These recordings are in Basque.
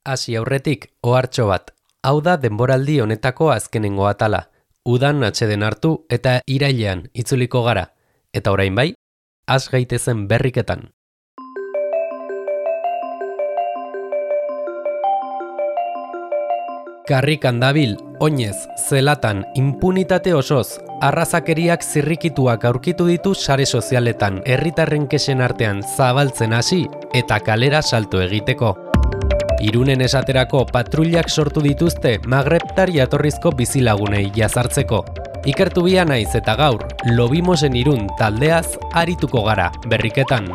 Hasi aurretik, ohartxo bat. Hau da denboraldi honetako azkenengo atala. Udan atseden hartu eta irailean itzuliko gara. Eta orain bai, has gaitezen berriketan. Karrikan dabil, oinez, zelatan, impunitate osoz, arrazakeriak zirrikituak aurkitu ditu sare sozialetan, herritarren kexen artean zabaltzen hasi eta kalera salto egiteko. Irunen esaterako patrullak sortu dituzte Magrebtar jatorrizko bizilagunei jazartzeko. Ikertu bia naiz eta gaur, Lobimosen Irun taldeaz arituko gara berriketan.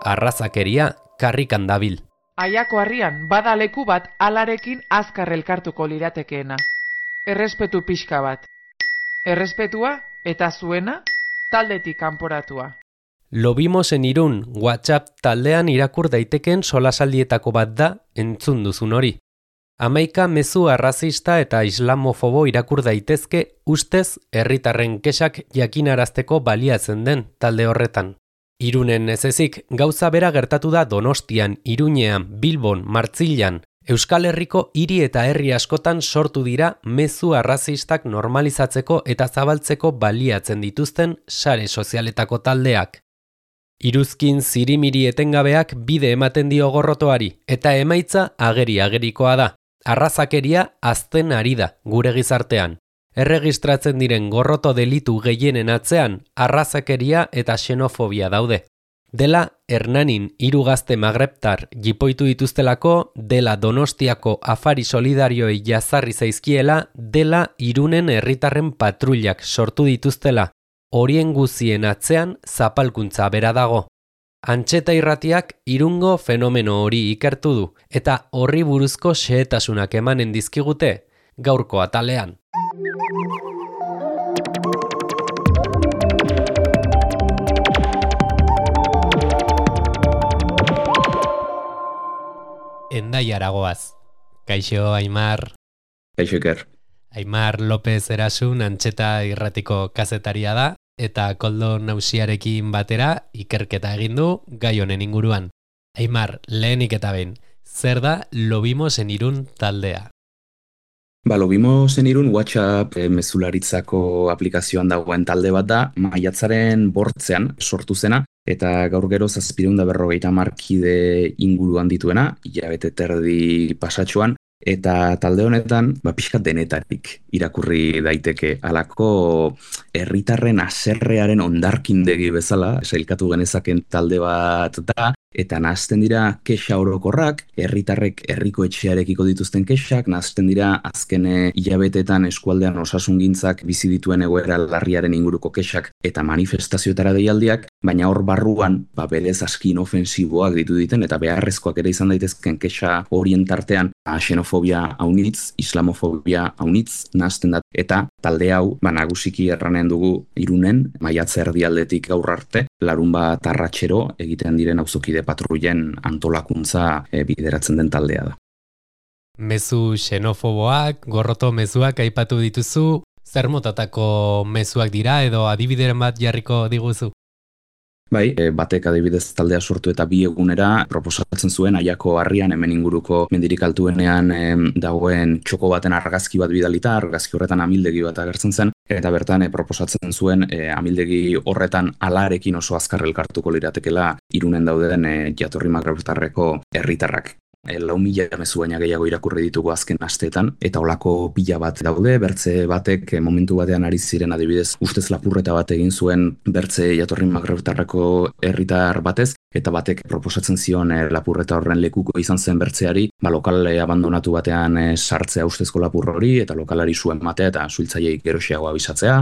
Arrazakeria karrikan dabil. Aiako harrian, bada leku bat alarekin azkar elkartuko liratekeena. Errespetu pixka bat. Errespetua eta zuena taldetik kanporatua. Lobimosen Irun WhatsApp taldean irakur daitekeen solasaldietako bat da entzun duzun hori. 11 mezu arrazista eta islamofobo irakur daitezke ustez herritarren kexak jakinarazteko baliatzen den talde horretan. Irunen ez ezik, gauza bera gertatu da Donostian, Iruñean, Bilbon, Martzilan, Euskal Herriko hiri eta herri askotan sortu dira mezu arrazistak normalizatzeko eta zabaltzeko baliatzen dituzten sare sozialetako taldeak. Iruzkin zirimiri etengabeak bide ematen dio gorrotoari, eta emaitza ageri-agerikoa da. Arrazakeria hazten ari da gure gizartean. Erregistratzen diren gorroto delitu gehienen atzean, arrazakeria eta xenofobia daude. Dela Hernanin 3 gazte magrebtar jipoitu dituztelako, dela Donostiako afari solidarioei jazarri zaizkiela, dela Irunen herritarren patrullak sortu dituztela. Horien guzien atzean zapalkuntza bera dago. Antxeta irratiak Irungo fenomeno hori ikertu du, eta horri buruzko xehetasunak emanen dizkigute gaurko atalean. Endaiara goaz. Kaixo, Aimar. Kaixo, Iker. Aimar López Erasun Antxeta irratiko kazetaria da, eta Koldo Nausiarekin batera ikerketa egin du gai honen inguruan. Aimar, lehenik eta behin, zer da Lobimosen Irun taldea? Lobimosen Irun WhatsApp mezularitzako aplikazioan dagoen talde bat da, maiatzaren 8 sortu zena, eta gaur gero 750 kide inguruan dituena, hilabete terdi pasatxoan, eta talde honetan, pixkat denetarik irakurri daiteke halako herritarren haserrearen hondarkindegi bezala, sailkatu genezaken talde bat da, eta nahazten dira kexa orokorrak, herritarrek herriko etxearekiko dituzten kexak, nahazten dira azken hilabetetan eskualdean osasungintzak bizi dituen egoera larriaren inguruko kexak eta manifestazioetara deialdiak, baina hor barruan, berez aski inofensiboak ditu diten, eta beharrezkoak ere izan daitezken kexa horien tartean, xenofobia haunitz, islamofobia haunitz, nahazten da, eta talde hau, nagusiki erranen dugu Irunen, maiatza erdialdetik gaur arte, larunbat arratsero egiten diren auzokide patrullen antolakuntza bideratzen den taldea da. Mezu xenofoboak, gorroto mezuak aipatu dituzu, zer motatako mezuak dira edo adibideren bat jarriko diguzu? Batek adibidez taldea sortu eta 2 egunera proposatzen zuen Aiako harrian hemen inguruko mendirik altuenean dagoen txoko baten argazki bat bidalita, argazki horretan amildegi bat agertzen zen, eta bertan proposatzen zuen amildegi horretan alarekin oso azkar elkartuko liratekela Irunen dauden jatorri magrebtarreko herritarrak. 4.000 mezu baina gehiago irakurri ditugu azken asteetan, eta olako pila bat daude, bertze batek momentu batean ari ziren adibidez ustez lapurreta bat egin zuen bertze jatorri magrebtarreko herritar batez, eta batek proposatzen zion lapurreta horren lekuko izan zen bertzeari, lokal abandonatu batean sartzea ustezko lapur hori, eta lokalari zuen matea eta suhiltzaileei geroxeago abisatzea.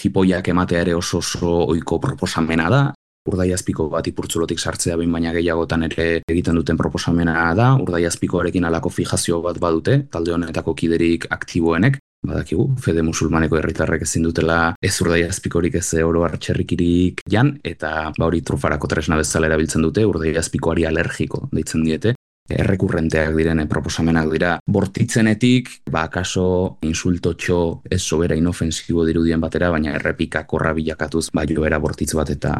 Jipoiak ematea ere oso ohiko proposamena da. Urdaiazpiko bat ipurtzulotik sartzea behin baina gehiagotan ere egiten duten proposamena da, Urdaiazpikoarekin halako fijazio bat badute, talde honetako kiderik aktiboenek, badakigu, fede musulmaneko herritarrek ezin dutela ez Urdaiazpikorik ez oro hartxerrikirik jan, eta hori trufarako tresna bezala erabiltzen dute, Urdaiazpikoari alergiko deitzen diete, errekurrenteak diren proposamenak dira bortitzenetik, akaso insultotxo ez sobera inofensibo dirudien batera, baina errepika korra bilakatuz joera bortitz bat eta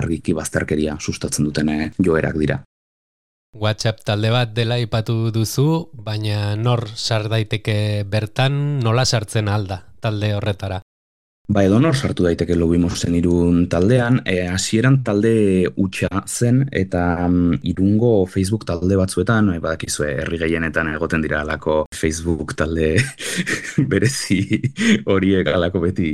argiki bazterkeria sustatzen duten joerak dira. WhatsApp talde bat dela aipatu duzu, baina nor sar daiteke bertan, nola sartzen alda talde horretara? Ba, edonor sartu daiteke Lobimosen Irun taldean, hasieran talde hutsa zen eta Irungo Facebook talde batzuetan, badakizue herri gehienetan egoten dira alako Facebook talde berezi horiek alako beti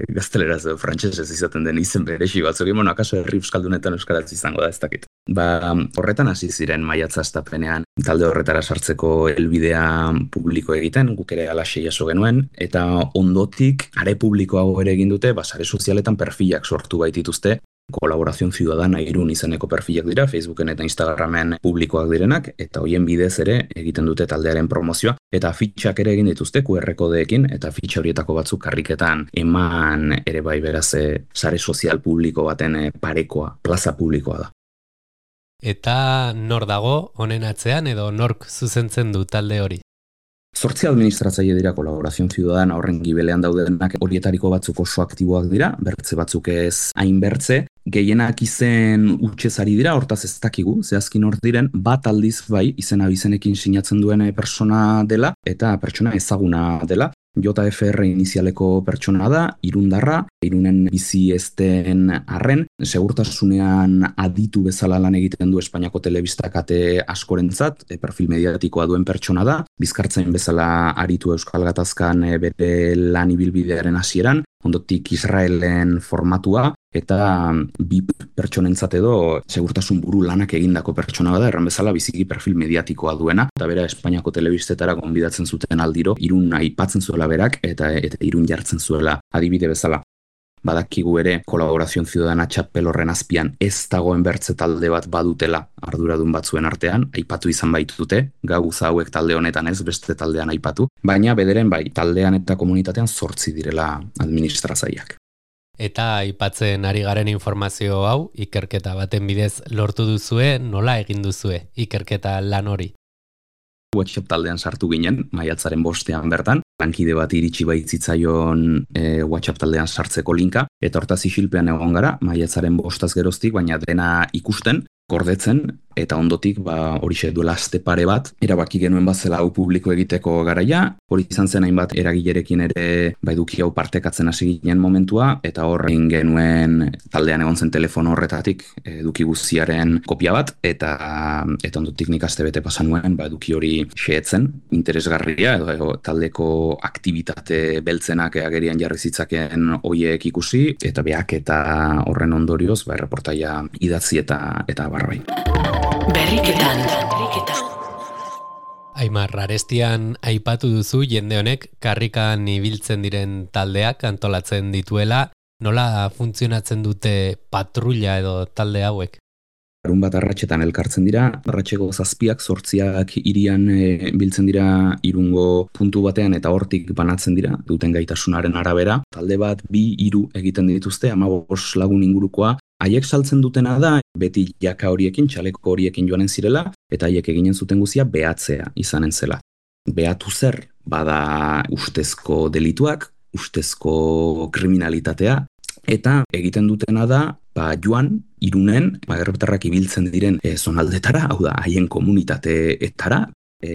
gazteleraz edo frantsesez izaten den izen berezi batzuk, akaso herri euskaldunetan euskaraz izango da ez dakit. Ba, horretan hasi ziren maiatza hastapenean talde horretara sartzeko helbidea publiko egiten, guk ere alaxe jaso genuen, eta ondotik are publikoago ere egin dute, sare sozialetan perfilak sortu baitituzte, Colaboración Ciudadana Irun izeneko perfilak dira, Facebooken eta Instagramen publikoak direnak, eta hoien bidez ere egiten dute taldearen promozioa, eta fitxak ere egin dituzte QR kodeekin, eta fitxa horietako batzuk karriketan eman ere bai beraz sare sozial publiko baten parekoa, plaza publikoa da. Eta nor dago honen atzean edo nork zuzentzen du talde hori? 8 administratzaile dira Colaboración Ciudadana horren gibelean daudenak, horietariko batzuk oso aktiboak dira, bertze batzuk ez hain bertze, gehienak izen utxezari dira, hortaz ez dakigu, zehazkin hor diren, bat aldiz bai, izena bizenekin sinatzen duen persona dela, eta pertsona ezaguna dela, JFR inizialeko pertsona da, irundarra, Irunen bizi ezten arren, segurtasunean aditu bezala lan egiten du Espainiako telebista kate askorentzat, perfil mediatikoa duen pertsona da, bizkartzain bezala aritu Euskal Gatazkan bere lan ibilbidearen hasieran, ondotik Israelen formatua, eta bi pertsonentzat edo segurtasun buru lanak egindako pertsona da, erran bezala biziki perfil mediatikoa duena, eta bera Espainiako telebistetara gonbidatzen zuten aldiro, Irun aipatzen zuela berak, eta Irun jartzen zuela adibide bezala. Badakigu ere Colaboración Ciudadana txapel horren azpian ez dagoen bertze talde bat badutela arduradun batzuen artean, aipatu izan baitute, gauza hauek talde honetan ez beste taldean aipatu, baina bederen bai, taldean eta komunitatean 8 direla administrazaileak. Eta aipatzen ari garen informazio hau, ikerketa baten bidez lortu duzue, nola egin duzue ikerketa lan hori? WhatsApp taldean sartu ginen, maiatzaren 5ean bertan, lankide bat iritsi baitzitzaion WhatsApp taldean sartzeko linka, eta hortaz isilpean egon gara, maiatzaren 5 geroztik, baina dena ikusten, gordetzen, eta ondotik horixe duela aste pare bat, erabaki genuen bazela hau publiko egiteko garaia, hori izan zen hainbat eragilerekin ere eduki hau partekatzen hasi ginen momentua, eta horrein genuen taldean egon zen telefono horretatik eduki guztiaren kopia bat, eta ondotik nik aste bete pasan nuen eduki hori xeetzen, interesgarria, edo taldeko aktivitate beltzenak agerian jarri zitzaken hoiek ikusi, eta beak eta horren ondorioz, erreportaia idatzi eta barbai. Berriketan. Aimar, arestian aipatu duzu jende honek karrikan ibiltzen diren taldeak antolatzen dituela, nola funtzionatzen dute patrulla edo talde hauek? Larun bat arratsetan elkartzen dira, arratseko 7ak 8ak hirian biltzen dira Irungo puntu batean eta hortik banatzen dira, duten gaitasunaren arabera. Talde bat 2-3 egiten dituzte, 15 lagun ingurukoa. Haiek saltzen dutena da, beti jaka horiekin, txaleko horiekin joanen zirela, eta haiek eginen zuten guzia behatzea izanen zela. Behatu zer, bada ustezko delituak, ustezko kriminalitatea, eta egiten dutena da, joan, Irunen, errepetarrak ibiltzen diren zonaldetara, hau da, haien komunitateetara,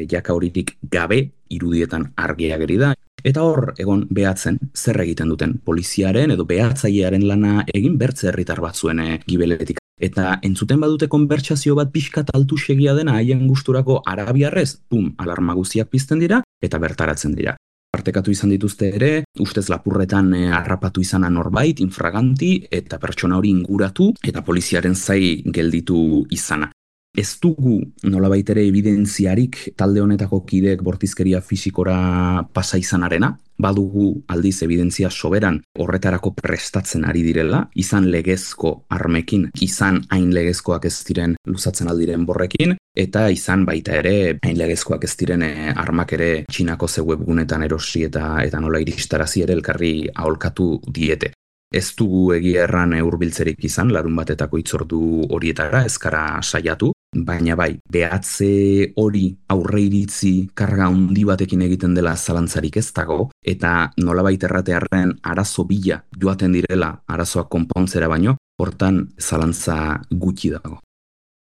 jaka horitik gabe irudietan argia ageri da, eta hor egon behatzen zer egiten duten poliziaren edo behatzailearen lana egin bertze herritar batzuen gibeletik. Eta entzuten badute konbertsazio bat pixkat altu segia dena haien gusturako arabiarrez, alarma guztiak pizten dira eta bertaratzen dira. Partekatu izan dituzte ere, ustez lapurretan harrapatu izana norbait, infraganti, eta pertsona hori inguratu, eta poliziaren zai gelditu izana. Ez dugu nolabait ere evidentziarik talde honetako kideek bortizkeria fisikora pasa izanarena, badugu aldiz evidentzia soberan horretarako prestatzen ari direla, izan legezko armekin, izan hain legezkoak ez diren luzatzen aldiren borrekin, eta izan baita ere hain legezkoak ez diren armak ere Txinako webgunetan erosi eta nola iristarazi ere elkarri aholkatu diete. Ez dugu egia erran hurbiltzerik izan, larun batetako hitzordu horietara ezkara saiatu, baina bai, behatze hori aurre iritzi karga handi batekin egiten dela zalantzarik ez dago, eta nolabait erratearren arazo bila joaten direla arazoak konpontzera baino, hortan zalantza gutxi dago.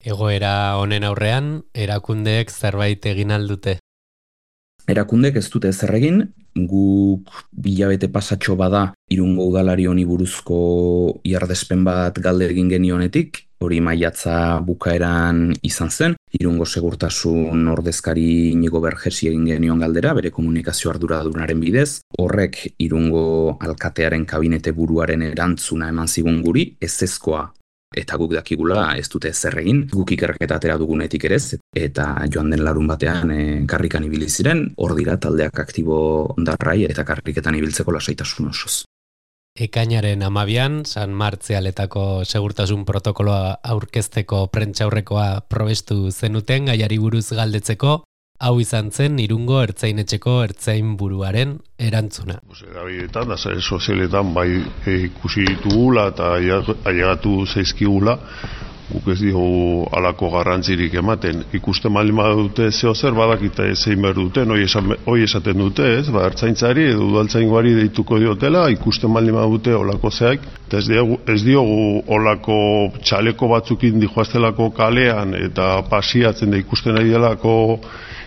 Egoera honen aurrean, erakundeek zerbait egin aldute. Erakundek ez dute ezer egin, guk bilabete pasatxo bada Irungo udalari honi buruzko iardespen bat galde egin genionetik, hori maiatza bukaeran izan zen, Irungo segurtasun ordezkari Inigo Bergesi egin genion galdera, bere komunikazio arduradunaren bidez, horrek Irungo alkatearen kabinete buruaren erantzuna eman zigun guri, ezezkoa. Eta guk dakigula ez dute ezer egin, guk ikerketa atera dugunetik ere ez, eta joan den larun batean karrikan ibili ziren, hor dira taldeak aktibo darrai eta karriketan ibiltzeko lasaitasun osoz. Ekainaren 12an, San Martzialetako segurtasun protokoloa aurkezteko prentsaurrekoa probestu zenuten gaiari buruz galdetzeko, hau izan zen Irungo ertzainetxeko ertzain buruaren erantzuna. Erabiletan, da sare sozialetan bai ikusi ditugula eta ailegatu zaizkigula, guk ez diogu halako garrantzirik ematen. Ikusten baldin badute zeo zer badakita zein behar duten, hoi esaten dute, ez? Ertzaintzari edo udaltzaingoari deituko diotela, ikusten baldin badute holako zeak, eta ez diogu holako txaleko batzukin dijoaztelako kalean eta pasiatzen da ikusten ari delako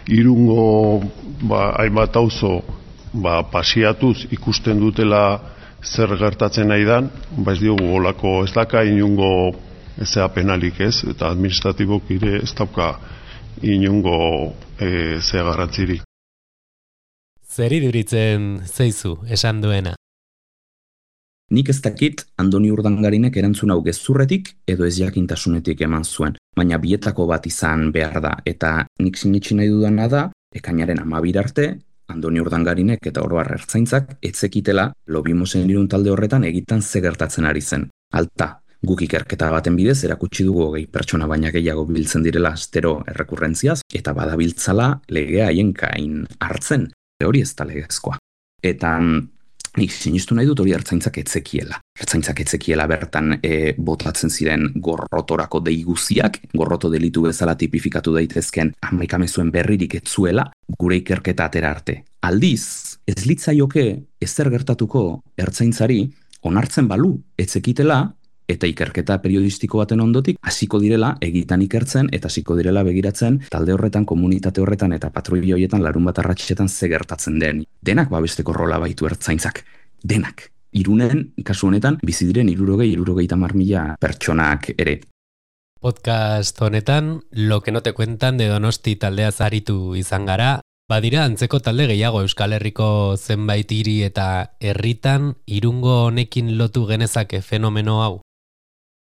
Irungo hainbat auzo pasiatuz ikusten dutela zer gertatzen nahi dan, ez diogu holako ez daka inungo ezea penalik ez, eta administratibok ere ez dauka inungo zea garrantziri. Zer iduritzen zeizu esan duena? Nik ez dakit Andoni Urdangarinek erantzun hau gezurretik edo ez jakintasunetik eman zuen, baina bietako bat izan behar da, eta nik sinetsi nahi dudana da, ekainaren 12 arte, Andoni Urdangarinek eta oro har ertzaintzak etzekitela Lobimosen Irun talde horretan egitan ze gertatzen ari zen. Alta, guk ikerketa baten bidez erakutsi dugu 20 pertsona baina gehiago biltzen direla astero errekurrentziaz, eta badabiltzala legea haien gain hartzen, hori ez da legezkoa. Eta nik sinistu nahi dut hori ertzaintzak etzekiela. Ertzaintzak etzekiela bertan botatzen ziren gorrotorako deiguziak, gorroto delitu bezala tipifikatu daitezken 11 mezuen berririk etzuela, gure ikerketa atera arte. Aldiz, ez litzaioke ezer gertatuko ertzaintzari onartzen balu etzekitela, eta ikerketa periodistiko baten ondotik hasiko direla egitan ikertzen eta hasiko direla begiratzen talde horretan, komunitate horretan eta patruila horietan larun bat arratsetan ze gertatzen den. Denak babesteko rola baitu ertzaintzak. Denak. Irunen, kasu honetan, bizi diren 60-70.000 pertsonak ere. Podcast honetan, Lo que no te cuentan de Donosti taldeaz aritu izan gara, badira antzeko talde gehiago Euskal Herriko zenbait hiri eta herritan Irungo honekin lotu genezake fenomeno hau.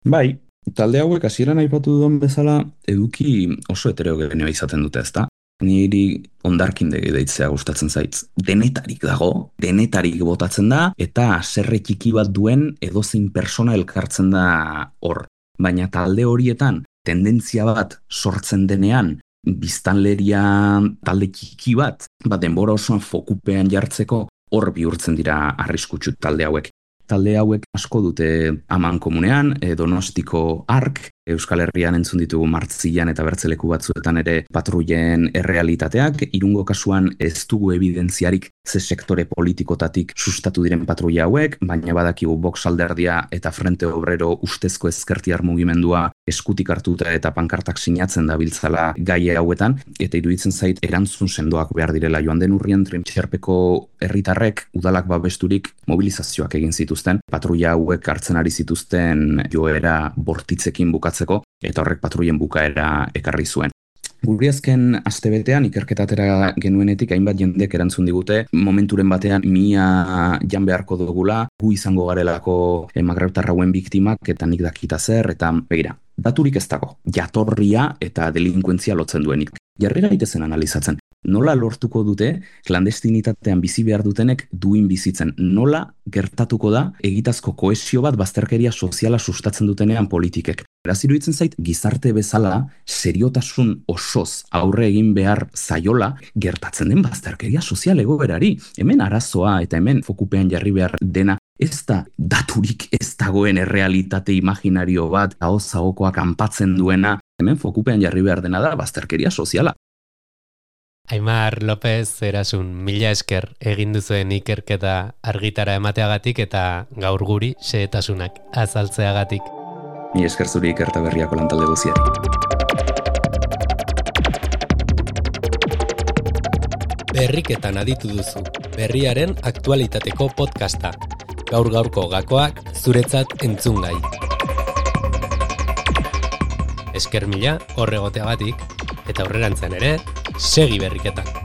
Bai, talde hauek hasieran aipatu duen bezala eduki oso heterogeneoa izaten dute, ezta? Niri hondarkindegi deitzea gustatzen zaitz. Denetarik dago, denetarik botatzen da, eta haserre txiki bat duen edozein persona elkartzen da hor. Baina talde horietan tendentzia bat sortzen denean, biztanleria talde txiki bat denbora osoan fokupean jartzeko hor bihurtzen dira arriskutsu talde hauek. Talde hauek asko dute aman komunean, Donostiko ARK, Euskal Herrian entzun ditugu Martzilan eta bertzeleku batzuetan ere patruien errealitateak, Irungo kasuan ez dugu evidentziarik ze sektore politikotatik sustatu diren patruia hauek, baina badakigu Vox alderdia eta Frente Obrero ustezko ezkertiar mugimendua eskutik hartuta eta pankartak sinatzen dabiltzala gai hauetan, eta iruditzen zait erantzun sendoak behar direla. Joan den urrian Trintxerpeko herritarrek udalak babesturik mobilizazioak egin zituzten, patruia hauek hartzen ari zituzten joera bortitzekin bukatzeko, eta horrek patruien bukaera ekarri zuen. Guri azken astebetean ikerketa atera genuenetik hainbat jendek erantzun digute, momenturen batean mia jan beharko dugula, gu izango garelako magrebtar hauen biktimak eta nik dakita zer, eta begira, daturik ez dago, jatorria eta delinkuentzia lotzen duenik. Jarri gaitezen analizatzen. Nola lortuko dute klandestinitatean bizi behar dutenek duin bizitzen? Nola gertatuko da egitazko kohesio bat bazterkeria soziala sustatzen dutenean politikek? Beraz iruditzen zait, gizarte bezala seriotasun osoz aurre egin behar zaiola gertatzen den bazterkeria sozial egoerari. Hemen arazoa eta hemen fokupean jarri behar dena ez da daturik ez dagoen errealitate imaginario bat ahoz-ahokoak kanpatzen duena. Hemen fokupean jarri behar dena da bazterkeria soziala. Aimar López Erasun, mila esker egin duzuen ikerketa argitara emateagatik eta gaur guri xehetasunak azaltzeagatik. Mila esker zuri ikerta berriako lantalde guziari. Berriketan aditu duzu, berriaren aktualitateko podcasta. Gaur-gaurko gakoak zuretzat entzungai. Esker mila horregoteagatik, eta aurrerantzean ere, segi berriketan.